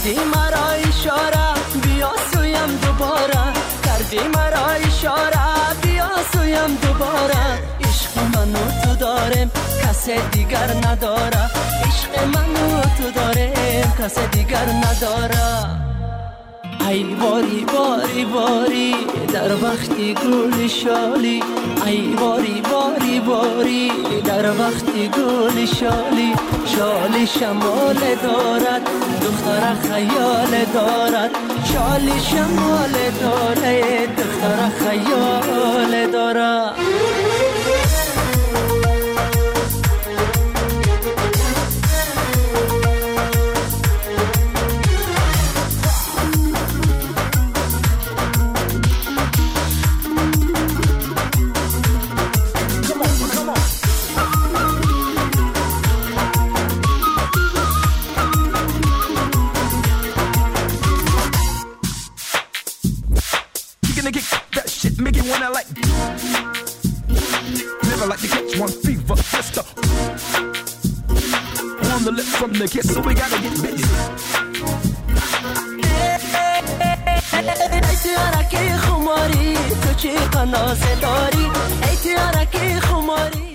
Кардӣ маро ишора, биё сӯям дубора. Кардӣ маро ишора, биё сӯям дубора. Ишқи ману ту дорем, касе дигар надора. Ишқи ману ту дорем, касе дигар надора. Ай бори бори бори дар вақти гули шолӣ. Ай бори бори бори дар вақти гули шолӣ. Шоли шамоле дорад, духтара хаёле дорад. Шоли шамоле дорад, духтара хаёле дорад. From the kiss, so we gotta get busy. ای تیارکی خماری تو چی قنازه داری. ای تیارکی خماری.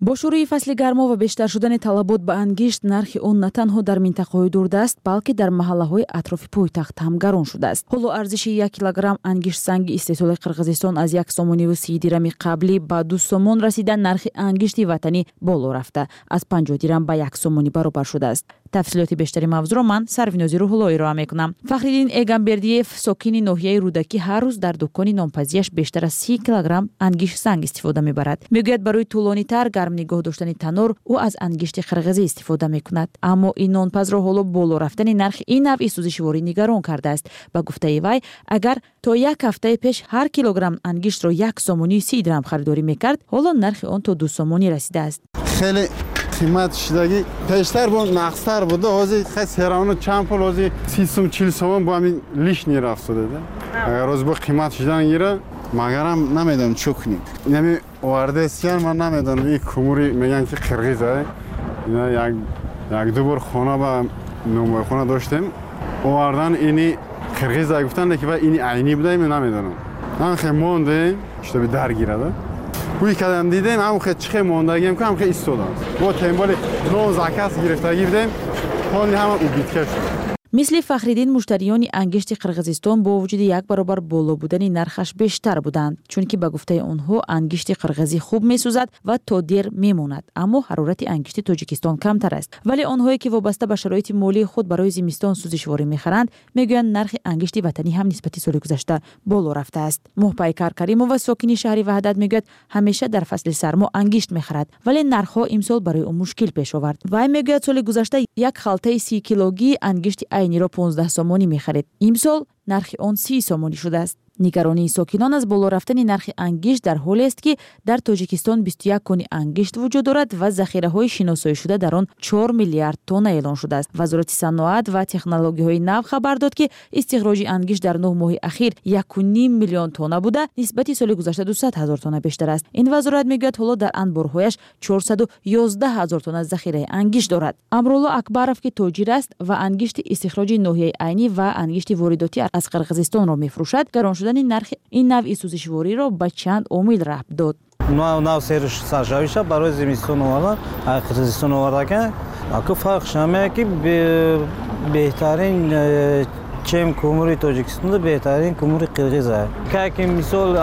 Бо шурӯи фасли гармо ва бештар шудани талабот ба ангишт, нархи он на танҳо дар минтақаҳои дурдаст, балки дар маҳаллаҳои атрофи пойтахт ҳам гарон шудааст. Ҳоло арзиши 1 килограмм ангиштсанги истеҳсоли Қирғизистон аз 1 сомониву 30 дирами қаблӣ ба 2 сомон расида, нархи ангишти ватанӣ боло рафта, аз 50 дирам ба 1 сомонӣ баробар шудааст. Тафсилоти бештари мавзӯъро ман Сарвинози Рӯҳулло ироа мекунам. Фахриддин Эгамбердиев, сокини ноҳияи Рӯдакӣ, ҳар рӯз дар дукони нонпазияш бештар аз 30 килограмм ангиштсанг истифода мебарад. Мегӯяд, барои тӯлонитар гарм нигоҳ доштани танор ӯ аз ангишти қирғизӣ истифода мекунад. Аммо ин нонпазро ҳоло боло рафтани нархи ин навъи сӯзишворӣ нигарон кардааст. Ба гуфтаи вай, агар то як ҳафтаи пеш ҳар килограмм ангиштро 1 сомонии 30 дирам харидорӣ мекард, ҳоло нархи он то 2 сомонӣ расидааст. Хеле қимат шудагӣ. Пештар бо нақстар буда, ҳозир хай серавно чанд пул, ҳозир 30 сум, 40 сомон бо ҳамин лишний рафт шуда. Агар ҳозир бо қимат шудан гира, магарам намедонам чӣ кунем. Инами овардесиян, ман намедонам, ин кумури мегӯянд ки қирғиз, ина як ду бор хона ба номойхона доштем, овардан ини қирғиз гуфтанд, ки ва ини айнӣ буда, ин намедонам. Ҳам хе мондем, чтобы дар гирад. Ӯй кадам дидем, ҳам хе чихе мондагием, ки ҳам хе истодам. Бо темболи нон заказ гирифтагӣ будем, ҳоли ҳама убитка шуд. Мисли Фахриддин, муштариёни ангишти Қирғизистон бо вуҷуди як баробар боло будани нархаш бештар буданд, чунки ба гуфтаи онҳо ангишти қирғизӣ хуб месӯзад ва то дер мемонад, аммо ҳарорати ангишти Тоҷикистон камтар аст. Вале онҳое ки вобаста ба шароити молии худ барои зимистон сӯзишворӣ мехаранд, мегӯянд нархи ангишти ватанӣ ҳам нисбати соли гузашта боло рафтааст. Моҳпайкар Каримова, сокини шаҳри Ваҳдат, мегӯяд ҳамеша дар фасли сармо ангишт мехарад, вале нархҳо имсол барои ӯ мушкил пеш овард. Вай мегӯяд соли гузашта як халтаи 30 килогии ангишти айниро 15 сомонӣ мехарид. Имсол нархи он 30 сомонӣ шудааст. Нигаронии сокинон аз боло рафтани нархи ангишт дар ҳолест, ки дар Тоҷикистон 21 кони ангишт вуҷуд дорад ва захираҳои шиносоишуда дар он 4 миллиард тонна эълон шудааст. Вазорати саноат ва технологияҳои нав хабар дод, ки истихроҷи ангишт дар 9 моҳи ахир 1,5 миллион тонна буда, нисбати соли гузашта 200 ҳазор тонна бештар аст. Ин вазорат мегӯяд, ҳоло дар анборҳояш 411 ҳазор тонна захираи ангишт дорад. Амрулло Акбаров, ки тоҷир аст ва ангишти истихроҷи ноҳияи Айнӣ ва ангишти воридотӣ аз Қирғизистонро мефурӯшад, гарон шудани нархи ин навъи сӯзишвориро ба чанд омил рабт дод. Нав серш саршавиша барои зимистон овардан, Қирғизистон овардака. Аку фарқш ҳамае ки беҳтарин чем кумури Тоҷикистон, беҳтарин кумури қирғиз аст. Ки мисол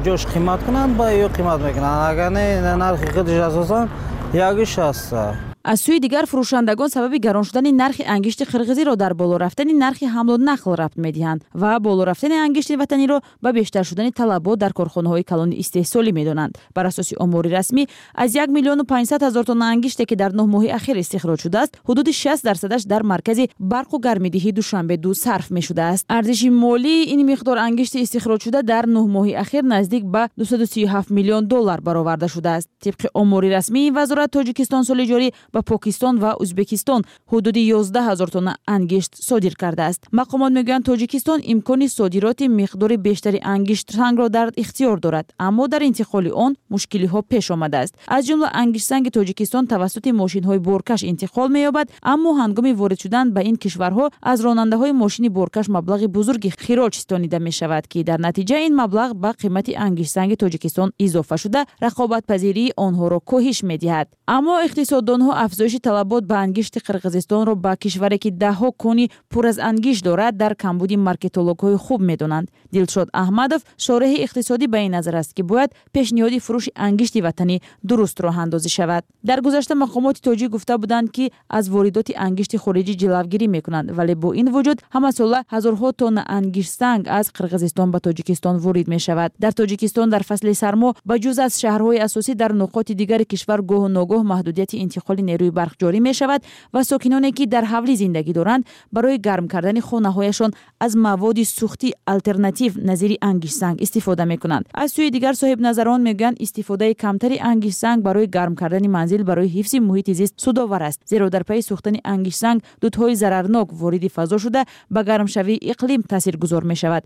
ҷош қимат кунанд, ба ё қимат мекунанд. Агар не, нархи худаш асосан 1,60. Аз сӯи дигар, фурӯшандагон сабаби гарон шудани нархи ангишти қирғизиро дар боло рафтани нархи ҳамлу нақл рабт медиҳанд ва боло рафтани ангишти ватаниро ба бештар шудани талабот дар корхонаҳои калони истеҳсолӣ медонанд. Бар асоси омори расмӣ, аз 1 миллиону 500 ҳазор тонна ангиште, ки дар 9 моҳи ахир истихроҷ шудааст, ҳудуди 60%-аш дар маркази барқу гармидиҳии Душанбе 2 сарф мешудааст. Арзиши молии ин миқдор ангишти истихроҷшуда дар 9 моҳи ахир наздик ба 237 миллион доллар бароварда шудааст. Тибқи омори расмии вазорат, Тоҷикистон соли ҷорӣ Ба Покистон ва Ӯзбекистон ҳудуди 11 ҳазор тонна ангишт содир кардааст. Мақомот мегӯянд, Тоҷикистон имкони содироти миқдори бештари ангиштсангро дар ихтиёр дорад, аммо дар интиқоли он мушкилиҳо пеш омадааст. Аз ҷумла ангиштсанги Тоҷикистон тавассути мошинҳои боркаш интиқол меёбад, аммо ҳангоми ворид шудан ба ин кишварҳо аз ронандаҳои мошини боркаш маблағи бузурги хироҷ ситонида мешавад, ки дар натиҷа ин маблағ ба қимати ангиштсанги Тоҷикистон изофа шуда, рақобатпазирии онҳоро коҳиш медиҳад. Аммо иқтисоддонҳо афзоиши талабот ба ангишти Қирғизистонро ба кишваре, ки даҳҳо кони пур аз ангишт дорад, дар камбуди маркетологҳои хуб медонанд. Дилшод Аҳмадов, шореҳи иқтисодӣ, ба ин назар аст, ки бояд пешниҳоди фурӯши ангишти ватанӣ дуруст роҳандозӣ шавад. Дар гузашта мақомоти тоҷик гуфта буданд, ки аз воридоти ангишти хориҷӣ ҷилавгирӣ мекунанд, вале бо ин вуҷуд ҳамасола ҳазорҳо тонна ангиштсанг аз Қирғизистон ба Тоҷикистон ворид мешавад. Дар Тоҷикистон дар фасли сармо ба ҷуз аз шаҳрҳои асосӣ дар нуқоти дигари кишвар гоҳу ногоҳ маҳдудияти интиқоли нерӯи барқ ҷорӣ мешавад ва сокиноне, ки дар ҳавлӣ зиндагӣ доранд, барои гарм кардани хонаҳояшон аз маводи сӯхтии алтернатив назири ангиштсанг истифода мекунанд. Аз сӯи дигар, соҳибназарон мегӯянд, истифодаи камтари ангиштсанг барои гарм кардани манзил барои ҳифзи муҳити зист судовар аст, зеро дар пайи сӯхтани ангиштсанг дудҳои зарарнок вориди фазо шуда, ба гармшавии иқлим таъсиргузор мешавад.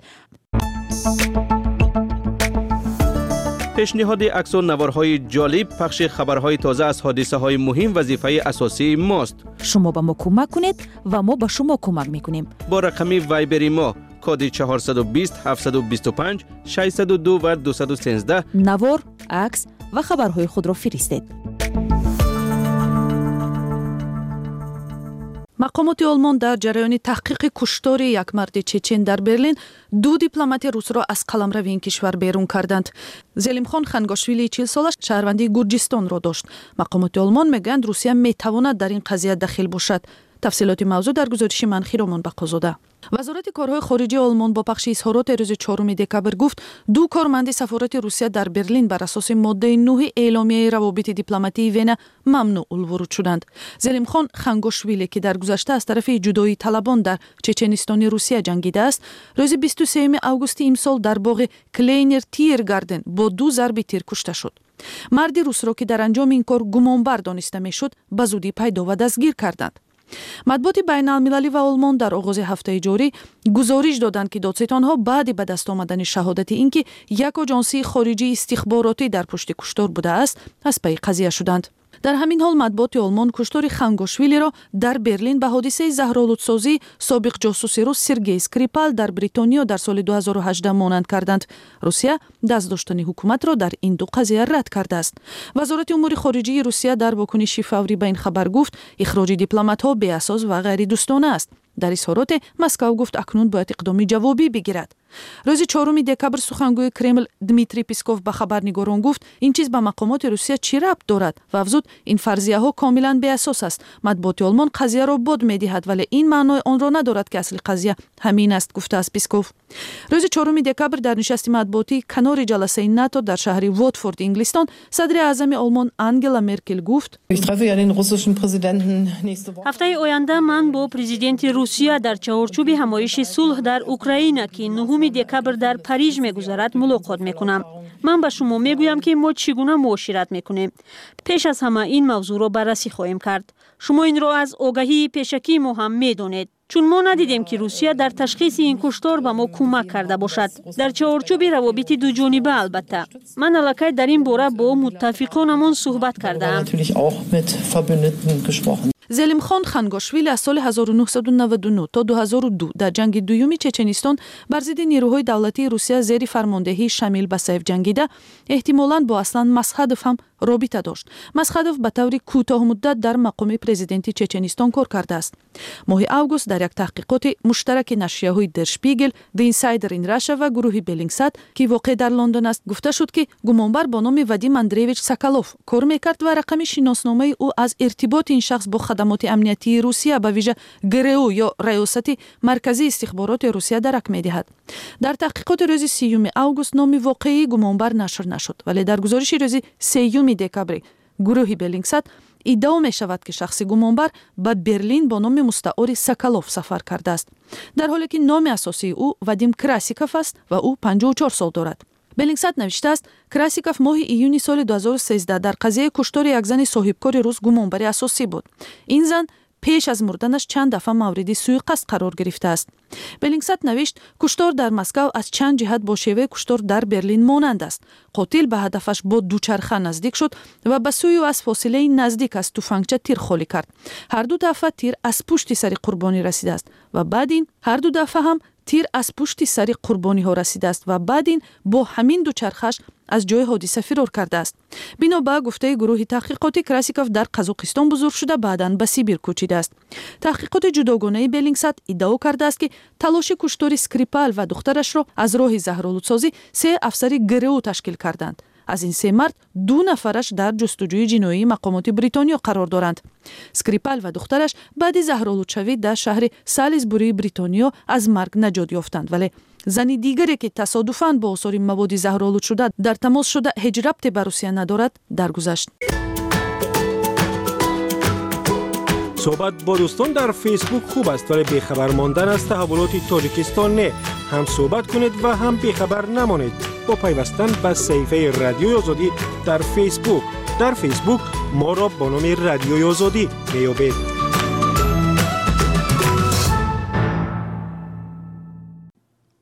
Пешниҳоди аксу наворҳои ҷолиб, пахши хабарҳои тоза аз ҳодисаҳои муҳим вазифаи асосии мост. Шумо ба мо кӯмак кунед ва мо ба шумо кӯмак мекунем. Бо рақами Вайбери мо коди 420 725 602 ва 213 навор, акс ва хабарҳои худро фиристед. Мақомоти Олмон дар ҷараёни таҳқиқи куштори як марди чечен дар Берлин ду дипломати русро аз қаламрави ин кишвар берун карданд. Зелимхон Хангошвили 40-сола шаҳрвандии Гурҷистонро дошт. Мақомоти Олмон мегӯянд, Русия метавонад дар ин қазия дахил бошад. Тафсилоти мавзӯъ дар гузориши ман Хиромон Бақозода. Вазорати корҳои хориҷии Олмон бо пахши изҳороти рӯзи 4 декабр гуфт, ду корманди сафорати Русия дар Берлин бар асоси моддаи 9 эъломияи равобити дипломатии Вена мамнӯъулвуруд шуданд. Зелимхон Хангошвили, ки дар гузашта аз тарафи ҷудоии талабон дар Чеченистони Русия ҷангидааст, рӯзи 23 августи имсол дар боғи Клейнер Тиргарден бо ду зарби тир кушта шуд. Марди русро, ки дар анҷоми ин кор гумонбар дониста мешуд, ба зудӣ пайдо ва дастгир карданд. Матбуоти байналмилалӣ ва Олмон дар оғози ҳафтаи ҷорӣ гузориш доданд, ки додситонҳо баъди ба даст омадани шаҳодати ин ки як оҷонсии хориҷии истихборотӣ дар пушти куштор будааст, аз пайи қазия шуданд. Дар ҳамин ҳол матбуоти Олмон куштори Хангошвилиро дар Берлин ба ҳодисаи заҳролудсозии собиқ ҷосуси рус Сергей Скрипал дар Бритониё дар соли 2018 монанд карданд. Русия даст доштани ҳукуматро дар ин ду қазия рад кардааст. Вазорати умури хориҷии Русия дар вокуниши фаврӣ ба ин хабар гуфт, ихроҷи дипломатҳо беасос ва ғайридӯстона аст. Дар изҳороте Москав гуфт, акнун бояд иқдоми ҷавобӣ бигирад. Рӯзи 4 декабр сухангӯи Кремл Дмитрий Песков ба хабарнигорон гуфт, ин чиз ба мақомоти Русия чӣ рабт дорад ва афзуд, ин фарзияҳо комилан беасос аст. Матбуоти Олмон қазияро бод медиҳад, вале ин маънои онро надорад, ки асли қазия ҳамин аст, гуфтааст Песков. Рӯзи 4 декабр дар нишасти матбуотии канори ҷаласаи НАТО дар шаҳри Вотфорд, Инглистон, садри аъзами Олмон Ангела Меркел гуфт: Ҳафтаи оянда ман бо президенти Русия дар чаҳорчӯби ҳамоиши сулҳ дар Украина, ки 9 декабр дар Париж мегузарад, мулоқот мекунам. Ман ба шумо мегӯям, ки мо чӣ гуна муошират мекунем. Пеш аз ҳама ин мавзӯъро баррасӣ хоҳем кард. Шумо инро аз огаҳии пешакии мо ҳам медонед, чун мо надидем, ки Русия дар ташхиси ин куштор ба мо кӯмак карда бошад. Дар чаҳорчӯби равобити дуҷониба албатта. Ман аллакай дар ин бора бо муттафиқонамон суҳбат кардаам. Зелимхон Хангошвили аз соли 1999 то 2002 дар ҷанги дуюми Чеченистон бар зидди нерӯҳои давлатии Русия зери фармондеҳии Шамил Басаев ҷангида, эҳтимолан бо Аслан Масхадов ҳам робита дошт. Масхадов ба таври кӯтоҳмуддат дар мақоми президенти Чеченистон кор кардааст. Моҳи август дар як таҳқиқоти муштараки нашрияҳои Der Spiegel, The Insider in Russia ва гурӯҳи Беллингсат, ки воқеъ дар Лондон аст, гуфта шуд, ки гумонбар бо номи Вадим Андреевич Соколов кор мекард ва рақами шиносномаи ӯ аз иртиботи ин шахс бо хадамоти амниятии Русия, ба вижа ГРУ ё Раёсати марказии истихбороти Русия дарак медиҳад. Дар таҳқиқоти рӯзи 30 август номи воқеии гумонбар нашр нашуд, вале дар гузориши рӯзи 3 декабри гурӯҳи Беллингсат иддао мешавад, ки шахси гумонбар ба Берлин бо номи мустаори Соколов сафар кардааст, дар ҳоле ки номи асосии ӯ Вадим Красиков аст ва ӯ 54 сол дорад. Беллингсат навиштааст, Красиков моҳи июни соли 2013 дар қазияи куштори як зани соҳибкори рус гумонбари асосӣ буд. Ин зан пеш аз мурданаш чанд дафъа мавриди суиқасд қарор гирифтааст. Беллингсат навишт, куштор дар Москав аз чанд ҷиҳат бо шеваи куштор дар Берлин монанд аст. Қотил ба ҳадафаш бо дучарха наздик шуд ва ба сӯи ӯ аз фосилаи наздик аз туфангча тир холӣ кард. Ҳар ду дафъа тир аз пушти сари қурбонӣ расидааст ва баъд ин ҳар ду дафъа ҳам тир аз пушти сари қурбониҳо расидааст ва баъд ин бо ҳамин дучархааш аз ҷои ҳодиса фирор кардааст. Бино ба гуфтаи гурӯҳи таҳқиқотӣ, Красиков дар Қазоқистон бузург шуда, баъдан ба Сибир кӯчидааст. Таҳқиқоти ҷудогонаи Беллингсат иддао кардааст, ки талоши куштори Скрипал ва духтарашро аз роҳи заҳролудсозӣ се афсари ГРУ ташкил карданд. Аз ин се мард ду нафараш дар ҷустуҷӯи ҷиноии мақомоти Бритониё қарор доранд. Скрипал ва духтараш баъди заҳролудшавӣ дар шаҳри Салисбурии Бритониё аз марг наҷот ёфтанд, вале зани дигаре, ки тасодуфан бо осори маводи заҳролудшуда дар тамос шуда, ҳеҷ рабте ба Русия надорад, даргузашт. Суҳбат бо дӯстон дар Фейсбук хуб аст, вале бехабар мондан аз таҳаввулоти Тоҷикистон не. Ҳам суҳбат кунед ва ҳам бехабар намонед бо пайвастан ба саҳифаи Радиои Озодӣ дар Фейсбук. Дар Фейсбук моро бо номи Радиои Озодӣ меёбед.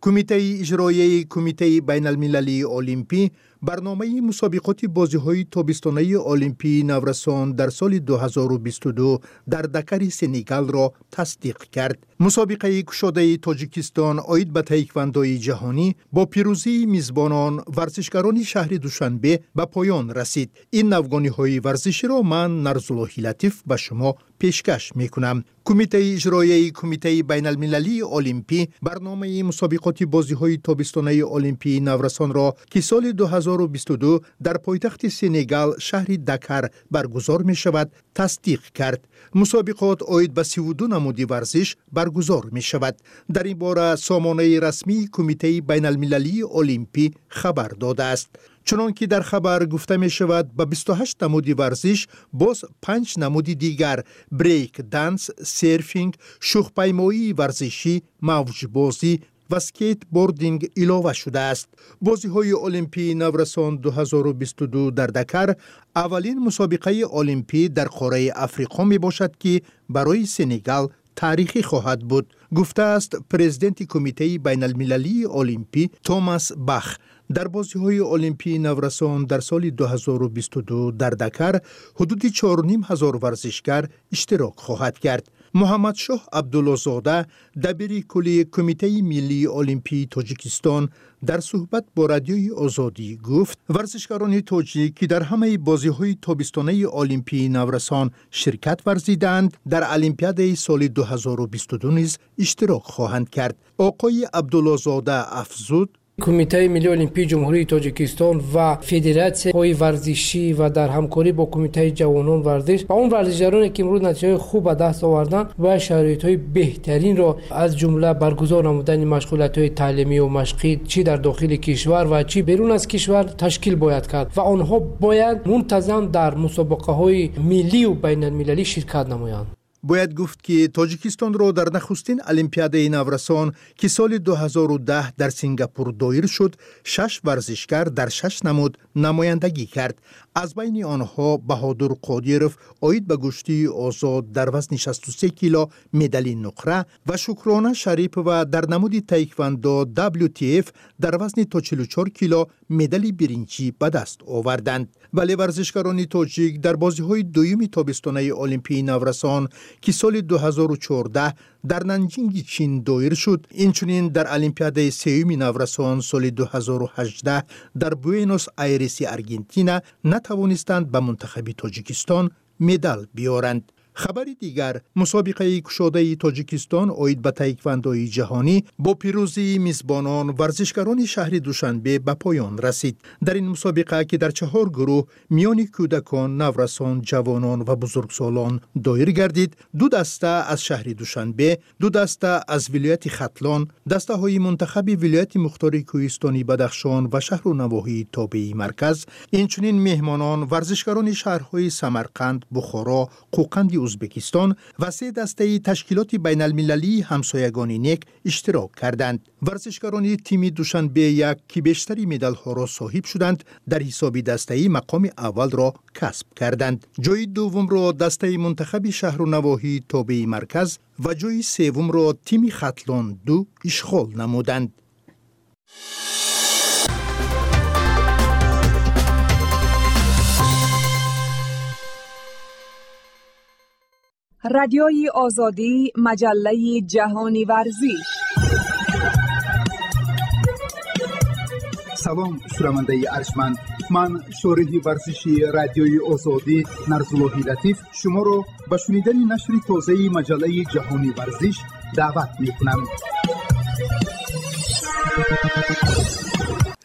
Кумитаи иҷроияи Кумитаи байналмилалии олимпӣ барномаи мусобиқоти бозиҳои тобистонаи олимпии наврасон дар соли 2022 дар Дакари Сенегалро тасдиқ кард. Мусобиқаи кушодаи Тоҷикистон оид ба таеквандои ҷаҳонӣ бо пирӯзии мизбонон, варзишгарони шаҳри Душанбе, ба поён расид. Ин навгониҳои варзиширо ман, Нарзуллоҳи Латиф, ба шумо пешкаш мекунам. Кумитаи иҷроияи Кумитаи байналмилалии олимпӣ барномаи мусобиқоти бозиҳои тобистонаи олимпии наврасонро, ки соли 2022 дар пойтахти Сенегал, шаҳри Дакар баргузор мешавад, тасдиқ кард. Мусобиқот оид ба 32 намуди варзиш баргузор мешавад. Дар ин бора сомонаи расмии Кумитаи байналмилалии олимпӣ хабар додааст. Чунон ки дар хабар гуфта мешавад, ба 28 намуди варзиш боз панҷ намуди дигар: брейк данс, серфинг, шӯхпаймоии варзишӣ, мавҷбозӣ ва скейтбординг илова шудааст. Бозиҳои олимпии наврасон 2022 дар Дакар аввалин мусобиқаи олимпӣ дар қораи Африқо мебошад, ки барои Сенегал таърихӣ хоҳад буд, гуфтааст президенти Кумитаи байналмилалии олимпӣ Томас Бах. Дар бозиҳои олимпии наврасон дар соли 2022 дар Дакар ҳудуди 4 ҳазор варзишгар иштирок хоҳад кард. Муҳаммадшоҳ Абдуллозода, дабири кулли Кумитаи миллии олимпии Тоҷикистон, дар суҳбат бо Радиои Озодӣ гуфт, варзишгарони тоҷик, ки дар ҳамаи бозиҳои тобистонаи олимпии наврасон ширкат варзидаанд, дар олимпиадаи соли 2022 низ иштирок хоҳанд кард. Оқои Абдуллозода афзуд: Кумитаи миллии олимпии Ҷумҳурии Тоҷикистон ва федератсияҳои варзишӣ ва дар ҳамкорӣ бо Кумитаи ҷавонон варзиш ва он варзишгароне, ки имрӯз натиҷаҳои хуб ба даст оварданд, бояд шароитҳои беҳтаринро, аз ҷумла баргузор намудани машғулиятҳои таълимию машқӣ, чӣ дар дохили кишвар ва чӣ берун аз кишвар, ташкил бояд кард ва онҳо бояд мунтазам дар мусобиқаҳои миллию байналмилалӣ ширкат намоянд. Бояд гуфт, ки Тоҷикистонро дар нахустин олимпиадаи наврасон, ки соли 2010 дар Сингапур доир шуд, шаш варзишгар дар шаш намуд намояндагӣ кард. Аз байни онҳо Баҳодур Қодиров оид ба гӯштии озод дар вазни 63 кило медали нуқра ва Шукрона Шарипова дар намуди таеквандо WTF дар вазни то 44 кило медали биринҷӣ ба даст оварданд. Вале варзишгарони тоҷик дар бозиҳои дуюми тобистонаи олимпии наврасон, ки соли 2014 дар Нанҷинги Чин доир шуд, инчунин дар олимпиадаи сеюми наврасон соли 2018 дар Буэнос Айреси Аргентина натавонистанд ба мунтахаби Тоҷикистон медал биёранд. Хабари дигар: мусобиқаи кушодаи Тоҷикистон оид ба таеквандои ҷаҳонӣ бо пирӯзии мизбонон, варзишгарони шаҳри Душанбе, ба поён расид. Дар ин мусобиқа, ки дар чаҳор гурӯҳ миёни кӯдакон, наврасон, ҷавонон ва бузургсолон доир гардид, ду даста аз шаҳри Душанбе, ду даста аз вилояти Хатлон, дастаҳои мунтахаби вилояти мухтори кӯҳистони Бадахшон ва шаҳру навоҳии тобеи марказ, инчунин меҳмонон, варзишгарони шаҳрҳои Самарқанд, Бухоро, Қӯқанди Узбекистон ва 3 дастаи Ташкилоти байналмилалии ҳамсоягони нек иштирок карданд. Варзишгарони тими Душанбе 1, ки бештари медалҳоро соҳиб шуданд, дар ҳисоби дастаӣ мақоми аввалро касб карданд. Ҷои дуввумро дастаи мунтахаби шаҳру навоҳии тобеи марказ ва ҷои севумро тими Хатлон 2 ишғол намуданд. Радиои Озодӣ, маҷаллаи ҷаҳони варзиш. Салом, шунавандаи арҷманд. Ман шориҳи варзиши Радиои Озодӣ Нарзуллоҳи Латиф шуморо ба шунидани нашри тозаи маҷаллаи ҷаҳони варзиш даъват мекунам.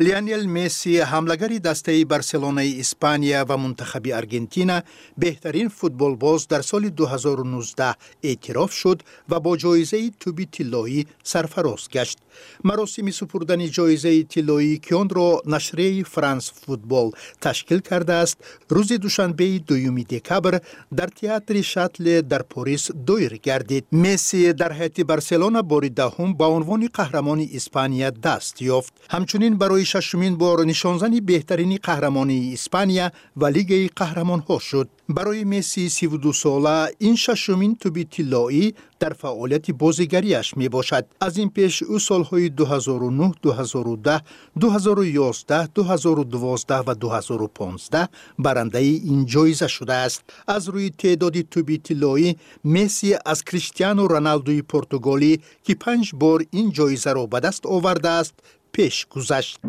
Лионел Месси, ҳамлагари дастаи Барселонаи Испания ва мунтахаби Аргентина, беҳтарин футболбоз дар соли 2019 эътироф шуд ва бо ҷоизаи тӯби тиллоӣ сарфароз гашт. Маросими супурдани ҷоизаи тиллоӣ, ки онро нашрияи Франс Футбол ташкил кардааст, рӯзи душанбеи 2 декабр дар театри Шатле дар Порис доир гардид. Месси дар ҳайати Барселона бори 10 ба унвони қаҳрамони Испания даст ёфт. Ҳамчунин барои 6-умин бор нишонзани беҳтарини қаҳрамонии Испания ва Лигаи қаҳрамонҳо шуд. Барои Месси 32-сола ин 6-умин тӯби тиллоӣ дар фаъолияти бозигарияш мебошад. Аз ин пеш ӯ солҳои 2009, 2010, 2011, 2012 ва 2015 барандаи ин ҷоиза шудааст. Аз рӯи теъдоди тӯби тиллоӣ Месси аз Криштиану Роналдуи португолӣ, ки 5 бор ин ҷоизаро ба даст овардааст, пеш гузашт.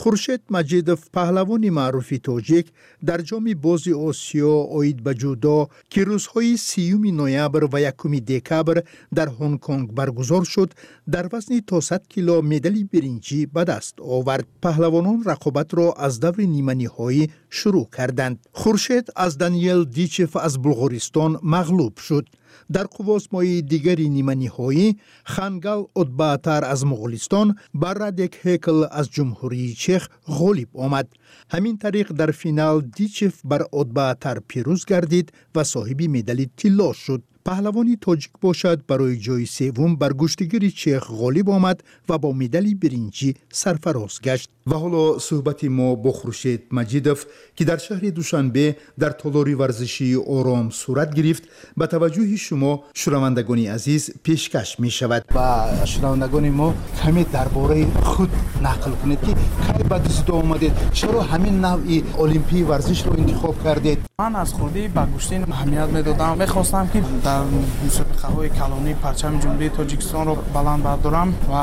Хуршед Маҷидов, паҳлавони маъруфи тоҷик, дар ҷоми бози Осиё оид ба ҷудо, ки рӯзҳои 30 ноябр ва 1 декабр дар Ҳонконг баргузор шуд, дар вазни то 100 кило медали биринҷӣ ба даст овард. Паҳлавонон рақобатро аз даври ниманиҳоӣ шурӯъ карданд. Хуршед аз Даниел Дичев аз Булғористон мағлуб шуд. Дар қуввозмоии дигари ниманиҳоӣ Хангал Отбаатар аз Моғулистон ба Радек Ҳекл аз Ҷумҳурии Чех ғолиб омад. Ҳамин тариқ дар финал Дичев бар Отбаатар пирӯз гардид ва соҳиби медали тилло шуд. Паҳлавони тоҷик бошад барои ҷои севум бар гӯштигири чех ғолиб омад ва бо медали биринҷӣ сарфароз гашт. Ва ҳоло суҳбати мо бо Хуршед Маҷидов, ки дар шаҳри Душанбе дар толори варзишии Ором сурат гирифт, ба таваҷҷӯҳи шумо шунавандагони азиз пешкаш мешавад. Ба шунавандагони мо каме дар бораи худ нақл кунед, ки кай ба дзюдо омадед, чаро ҳамин навъи олимпии варзишро интихоб кардед? Ман аз хурдӣ ба гӯштин аҳамият медодам. Мехостам, ки дар мусобиқаҳои калонӣ парчами Ҷумҳурии Тоҷикистонро баланд бардорам ва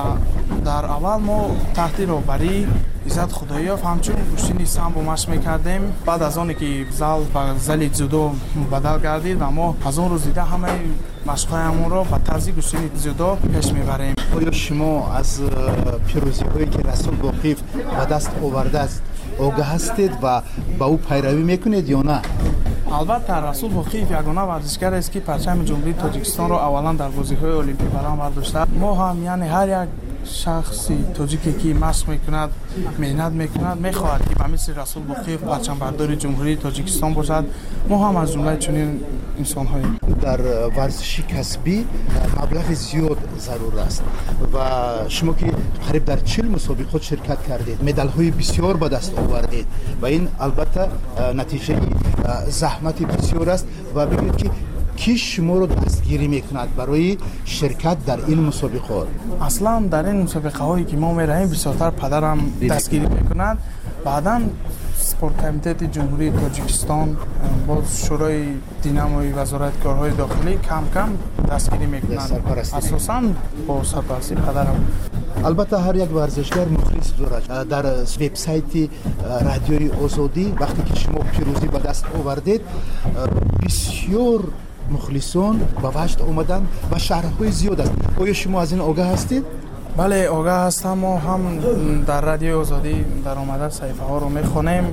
дар аввал мо таҳти роҳбарии Иззат Худоёв ҳамчун гӯштини самбо машқ мекардем. Баъд аз оне ки зал ба зали дзюдо мубаддал гардид ва мо аз он рӯз дида ҳамаи машқҳоямонро ба тарзи гӯштини дзюдо пеш мебарем. Оё шумо аз пирӯзиҳое ки Расул Боқиев ба даст овардааст огаҳ ҳастед ва ба ӯ пайравӣ мекунед ё на? Албатта, Расул Боқиев ягона варзишгарест, ки парчами Ҷумҳурии Тоҷикистонро аввалан дар бозиҳои олимпӣ баланд бардошта. Мо ҳам, яъне ҳар як шахси тоҷике ки машқ мекунад, меҳнат мекунад, мехоҳад, ки ба мисли Расул Боқиев парчамбардори Ҷумҳурии Тоҷикистон бошад. Мо ҳам аз ҷумлаи чунин инсонҳоем. Дар варзиши касбӣ маблағи зиёд зарур аст ва шумо ки қариб дар 40 мусобиқот ширкат кардед, медалҳои бисёр ба даст овардед ва ин албатта натиҷаи заҳмати бисёр аст. Ва бигӯед, ки ки шуморо дастгирӣ мекунад барои ширкат дар ин мусобиқот? Аслан дар ин мусобиқаҳое ки мо мераҳем, бисёртар падарам дастгирӣ мекунад. Баъдан спорткомитети Ҷумҳурии Тоҷикистон, боз Шӯрои Динамои Вазорати корҳои дохилӣ кам-кам дастгирӣ мекунанд, асосан бо сарпарастии падарам. Албатта, ҳар як варзишгар мухлис дорад. Дар вебсайти Радиои Озодӣ вақте ки шумо пирӯзӣ ба даст овардед, бисёр мухлисон ба ваҷд омаданд ва шаҳрҳои зиёд аст. Оё шумо аз ин огаҳ ҳастед? Бале, огаҳ ҳастам. Мо ҳам дар Радиои Озодӣ даромада саҳифаҳоро мехонем.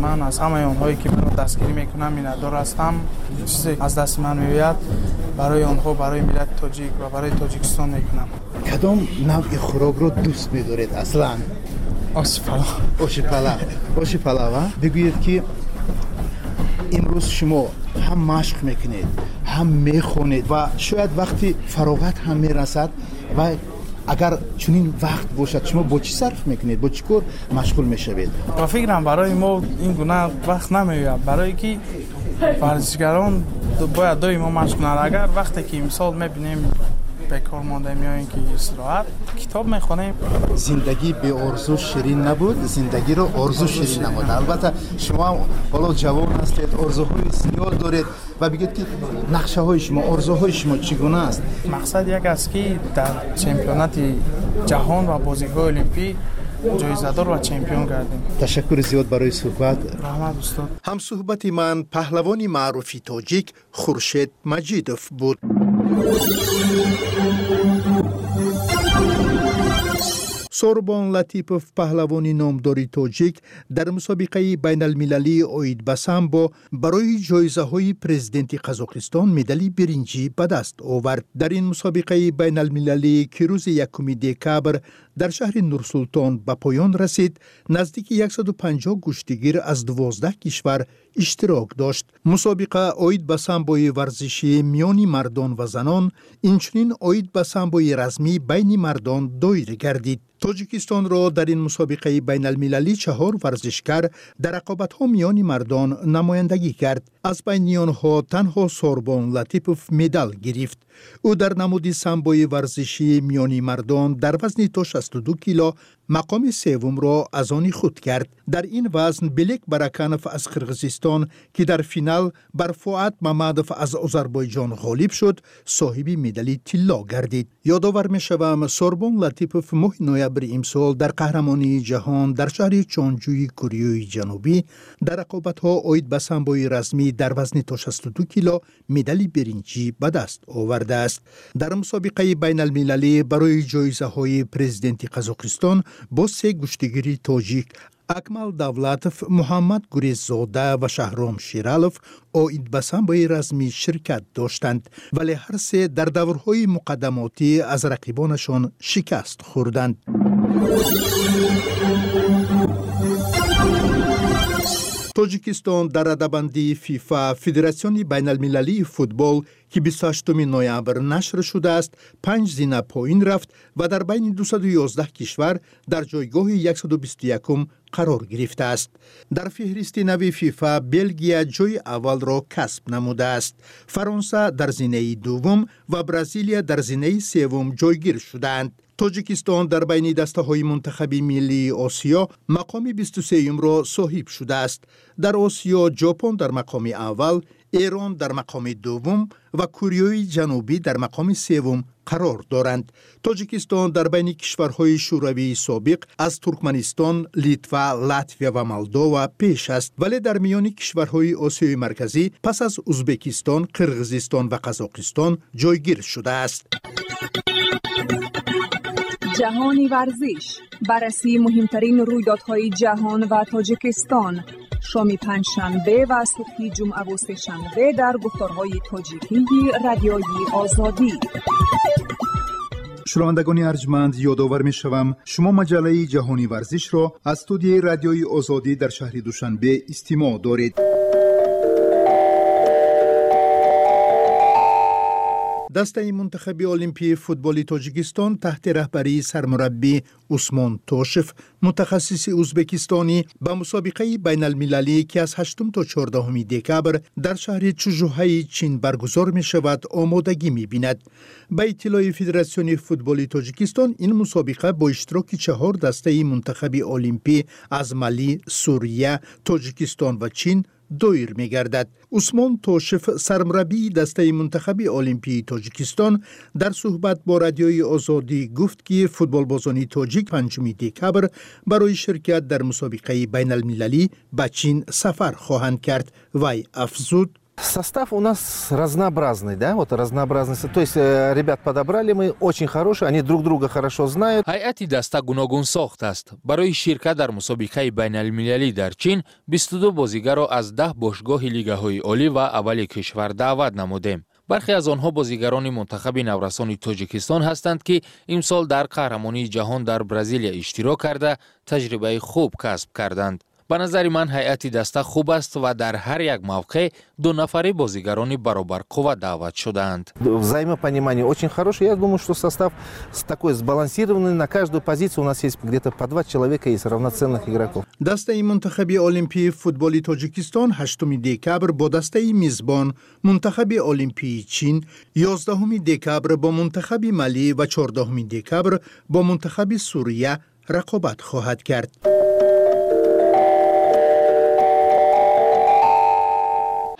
Ман аз ҳамаи онҳое ки маро дастгирӣ мекунанд миннатдор ҳастам. Чизе аз дасти ман меояд барои онҳо, барои миллати тоҷик ва барои Тоҷикистон мекунам. Кадом навъи хӯрокро дӯст медоред аслан? Оши палав. Оши палав. Оши палав, а? Бигӯед, ки имрӯз шумо ҳам машқ мекунед, ҳам мехонед ва шояд вақти фароғат ҳам мерасад ва агар чунин вақт бошад, шумо бо чӣ сарф мекунед, бо чӣ кор машғул мешавед? Ба фикрам, барои мо ин гуна вақт намеояд, барое ки варзишгарон бояд доимо машқ кунанд. Агар вақте ки мисол мебинем бекор мондаем ё ин ки истироҳат, китоб мехонем. Зиндагӣ беорзу ширин набуд, зиндагиро орзу ширин намуд. Албатта, шумо ҳам ҳоло ҷавон ҳастед, орзуҳои зиёд доред ва бигӯед, ки нақшаҳои шумо, орзуҳои шумо чӣ гуна аст? Мақсад як аст, ки дар чемпионати ҷаҳон ва бозиҳои олимпӣ ҷоизадор ва чемпион гардем. Ташаккури зиёд барои суҳбат. Раҳмат, устод. Ҳамсуҳбати ман паҳлавони маъруфи тоҷик Хуршед Маҷидов буд. Сорбон Латипов, паҳлавони номдори тоҷик, дар мусобиқаи байналмилалии оид ба самбо барои ҷоизаҳои президенти Қазоқистон медали биринҷӣ ба даст овард. Дар ин мусобиқаи байналмилалӣ, ки рӯзи 1 декабр дар шаҳри Нурсултон ба поён расид, наздики 150 гӯштигир аз 12 кишвар иштирок дошт. Мусобиқа оид ба самбои варзишӣ миёни мардон ва занон, инчунин оид ба самбои размӣ байни мардон доир гардид. Тоҷикистонро дар ин мусобиқаи байналмилалӣ чаҳор варзишкар дар рақобатҳо миёни мардон намояндагӣ кард. Аз байни онҳо танҳо Сорбон Латипов медал гирифт. Ӯ дар намуди самбои варзишӣ миёни мардон дар вазни то 62 кило мақоми севумро аз они худ кард. Дар ин вазн Белек Бараканов аз Қирғизистон, ки дар финал бар Фуат Мамадов аз Озарбойҷон ғолиб шуд, соҳиби медали тилло гардид. Ёдовар мешавам, Сорбон Латипов моҳи ноябри имсол дар қаҳрамонии ҷаҳон дар шаҳри Чонҷӯи Кореяи Ҷанубӣ дар рақобатҳо оид ба самбои размӣ дар вазни то 62 кило медали биринҷӣ ба даст овардааст. Дар мусобиқаи байналмилалӣ барои ҷоизаҳои президенти Қазоқистон бо се гӯштигири тоҷик, Акмал Давлатов, Муҳаммад Гуреззода ва Шаҳром Ширалов, оид ба самбои размӣ ширкат доштанд, вале ҳар се дар даврҳои муқаддамотӣ аз рақибонашон шикаст хӯрданд. Тоҷикистон дар радабандии ФИФА, Федератсиони байналмилалии футбол, ки 28 ноябр нашр шудааст, панҷ зина поин рафт ва дар байни 211 кишвар дар ҷойгоҳи 121 қарор гирифтааст. Дар феҳристи нави ФИФА Белгия ҷои аввалро касб намудааст. Фаронса дар зинаи дуввум ва Бразилия дар зинаи севум ҷойгир шудаанд. Тоҷикистон дар байни дастаҳои мунтахаби миллии Осиё мақоми 23-юмро соҳиб шудааст. Дар Осиё Ҷопон дар мақоми аввал, Эрон дар мақоми дуввум ва Кореяи Ҷанубӣ дар мақоми севум қарор доранд. Тоҷикистон дар байни кишварҳои Шӯравии собиқ аз Туркманистон, Литва, Латвия ва Молдова пеш аст, вале дар миёни кишварҳои Осиёи Марказӣ пас аз Узбекистон, Қирғизистон ва Қазоқистон ҷойгир шудааст. Ҷаҳони варзиш, баррасии муҳимтарин рӯйдодҳои ҷаҳон ва Тоҷикистон, шоми панҷшанбе ва субҳи ҷумъаву сешанбе дар гуфторҳои тоҷикии Радиои Озодӣ. Шунавандагони арҷманд, ёдовар мешавам, шумо маҷаллаи Ҷаҳони варзишро аз студияи Радиои Озодӣ дар шаҳри Душанбе истимоъ доред. Дастаи мунтахаби олимпии футболи Тоҷикистон таҳти раҳбарии сармураббӣ Усмон Тошев, мутахассиси узбекистонӣ, ба мусобиқаи байналмилалӣ, ки аз 8 то 14 декабр дар шаҳри Чжухаи Чин баргузор мешавад, омодагӣ мебинад. Ба иттилои Федератсиони футболи Тоҷикистон, ин мусобиқа бо иштироки чаҳор дастаи мунтахаби олимпӣ аз Мали, Сурия, Тоҷикистон ва Чин доир мегардад. Усмон Тошев, сармураббии дастаи мунтахаби олимпии Тоҷикистон, дар суҳбат бо Радиои Озодӣ гуфт, ки футболбозони тоҷик 5 декабр барои ширкат дар мусобиқаи байналмилалӣ ба Чин сафар хоҳанд кард. Вай афзуд: Состав у нас разнообразный, да, вот разнообразный. То есть ребят подобрали мы очень хорошие, они друг друга хорошо знают. Ҳайати даста гуногунсохт аст. Барои ширкат дар мусобиқаи байналмилалӣ дар Чин 22 бозигарро аз 10 бошгоҳи лигаҳои олӣ ва аввали кишвар даъват намудем. Бархе аз онҳо бозигарони мунтахаби наврасони Тоҷикистон ҳастанд, ки имсол дар қаҳрамонии ҷаҳон дар Бразилия иштирок карда, таҷрибаи хуб касб карданд. Ба назари ман, ҳайати даста хуб аст ва дар ҳар як мавқеъ дунафари бозигарони баробарқувва даъват шудаанд. Взаимопонимание очень хорошее. Я думаю, что состав такой сбалансированный. На каждую позицию у нас есть где-то по два человека, есть равноценных игроков. Дастаи мунтахаби олимпии футболи Тоҷикистон 8 декабр бо дастаи мизбон, мунтахаби олимпии Чин, 11 декабр бо мунтахаби Малӣ ва 14 декабр бо мунтахаби Сурия рақобат хоҳад кард.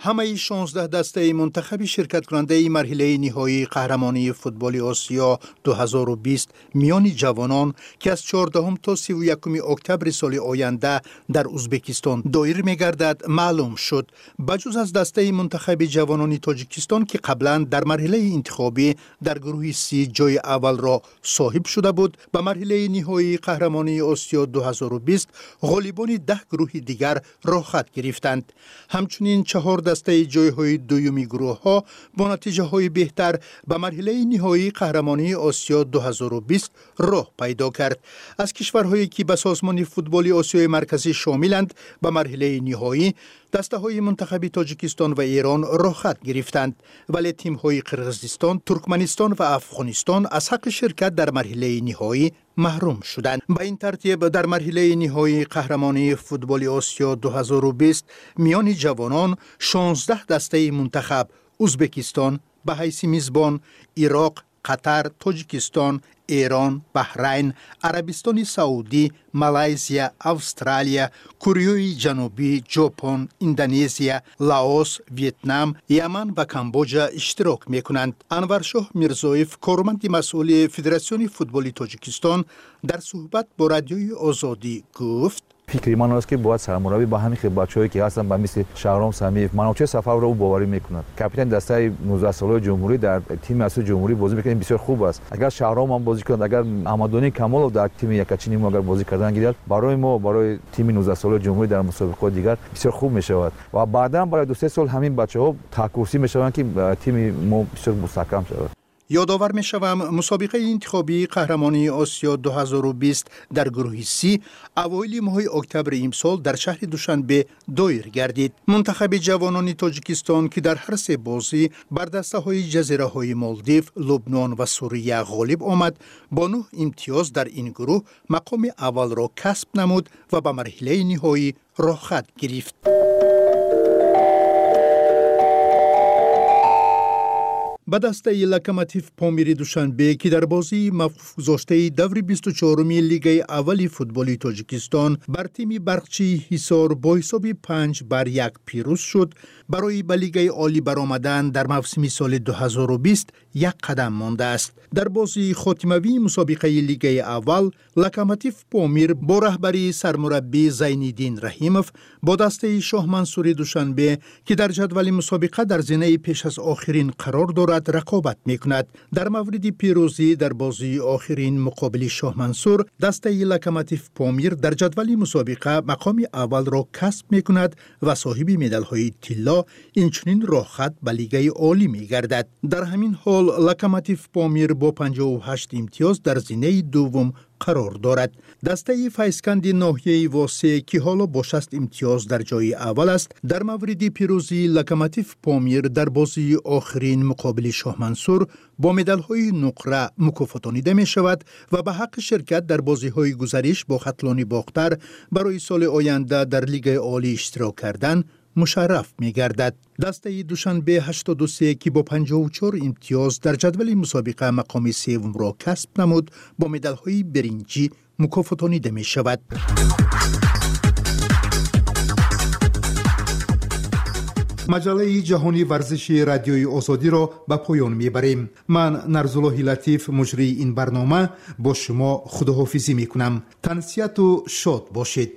Ҳамаи 16 дастаи мунтахаби ширкаткунандаи марҳилаи ниҳоии қаҳрамонии футболи Осиё 2020 миёни ҷавонон, ки аз 14 то 31 октябри соли оянда дар Узбекистон доир мегардад, маълум шуд. Ба ҷуз аз дастаи мунтахаби ҷавонони Тоҷикистон, ки қаблан дар марҳилаи интихобӣ дар гурӯҳи Си ҷои аввалро соҳиб шуда буд, ба марҳилаи ниҳоии қаҳрамонии Осиё 2020 ғолибони 10 гурӯҳи дигар роҳхат гирифтанд. Ҳамчунин чаҳор дастаи ҷойҳои дуюми гурӯҳҳо бо натиҷаҳои беҳтар ба марҳилаи ниҳоии қаҳрамонии Осиё 2020 роҳ пайдо кард. Аз кишварҳое, ки ба созмони футболи Осиёи Марказӣ шомиланд, ба марҳилаи ниҳоӣ дастаҳои мунтахаби Тоҷикистон ва Эрон роҳхат гирифтанд, вале тимҳои Қирғизистон, Туркманистон ва Афғонистон аз ҳаққи ширкат дар марҳилаи ниҳоӣ маҳрум шуданд. Ба ин тартиб, дар марҳилаи ниҳоии қаҳрамонии футболи Осиё 2020 миёни ҷавонон 16 дастаи мунтахаб Узбекистон ба ҳайси мизбон, Ироқ, Қатар, Тоҷикистон, Эрон, Баҳрайн, Арабистони Саудӣ, Малайзия, Австралия, Кореяи Ҷанубӣ, Ҷопон, Индонезия, Лаос, Вьетнам, Яман ва Камбоҷа иштирок мекунанд. Анваршоҳ Мирзоев, корманди масъули Федератсиони футболи Тоҷикистон, дар суҳбат бо Радиои Озодӣ гуфт: Фикри ман аст, ки бояд сармураббӣ ба ҳамин хел бачаҳое, ки ҳастанд, ба мисли Шаҳром Самиев, Маночеҳр Сафаровро ӯ боварӣ мекунад. Капитани дастаи 19-солаи ҷумҳурӣ дар тими асосии ҷумҳурӣ бозӣ мекунад, ин бисёр хуб аст. Агар Шаҳром ҳам бозӣ кунад, агар Аҳмаддонӣ Камолов дар тими якачини мо агар бозӣ кардан гирад, барои мо, барои тими 19-солаи ҷумҳурӣ дар мусобиқаҳои дигар бисёр хуб мешавад. Ва баъдан барои 2-3 сол ҳамин бачаҳо таҳкурсӣ мешаванд, ки тими мо бисёр мустаҳкам шавад. Ёдовар мешавам, мусобиқаи интихобии қаҳрамонии Осиё 2020 дар гурӯҳи Си авоили моҳи октябри имсол дар шаҳри Душанбе доир гардид. Мунтахаби ҷавонони Тоҷикистон, ки дар ҳар се бозӣ бар дастаҳои ҷазираҳои Молдив, Лубнон ва Сурия ғолиб омад, бо 9 имтиёз дар ин гурӯҳ мақоми аввалро касб намуд ва ба марҳилаи ниҳоӣ роҳхат гирифт. Ба дастаи Локомотив Помири Душанбе, ки дар бозии мавқуфгузоштаи даври 24-уми лигаи аввали футболи Тоҷикистон бар тими Барқчии Ҳисор бо ҳисоби 5-1 пирӯз шуд, барои ба лигаи олӣ баромадан дар мавсими соли 2020 як қадам мондааст. Дар бозии хотимавии мусобиқаи лигаи аввал Локомотив Помир бо раҳбарии сармураббӣ Зайниддин Раҳимов бо дастаи Шоҳмансури Душанбе, ки дар ҷадвали мусобиқа дар зинаи пеш аз охирин қарор дорад, рақобат мекунад. Дар мавриди пирӯзӣ дар бозии охирин муқобили Шоҳмансур, дастаи Локомотив Помир дар ҷадвали мусобиқа мақоми аввалро касб мекунад ва соҳиби медалҳои тилло, инчунин роҳхат ба лигаи олӣ мегардад. Дар ҳамин ҳол Локомотив Помир бо 58 имтиёз дар зинаи дуввум қарор дорад. Дастаи Файзканди ноҳияи Восе, ки ҳоло бо 60 имтиёз дар ҷои аввал аст, дар мавриди пирӯзии Локомотив Помир дар бозии охирин муқобили Шоҳмансур бо медалҳои нуқра мукофотонида мешавад ва ба ҳаққи ширкат дар бозиҳои гузариш бо Хатлони Бохтар барои соли оянда дар лигаи олӣ иштирок кардан мушарраф мегардад. Дастаи Душанбе 83, ки бо 54 имтиёз дар ҷадвали мусобиқа мақоми севумро касб намуд, бо медалҳои биринҷӣ мукофотонида мешавад. Маҷаллаи ҷаҳонии варзиши Радиои Озодиро ба поён мебарем. Ман, Нарзуллоҳи Латиф, муҷрии ин барнома, бо шумо худоҳофизӣ мекунам. Тансиҳату шод бошед.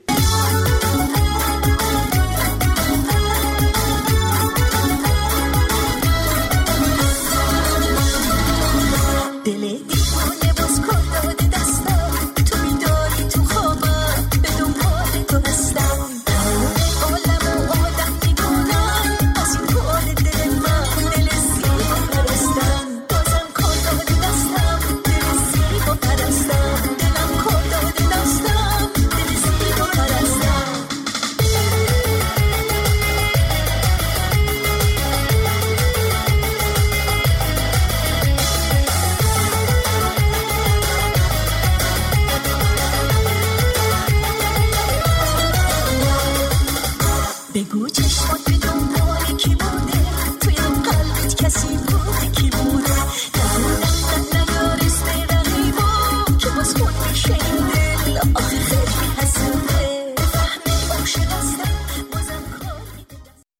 خود به دنبال کی بوده، توی قلبت کسی بوده.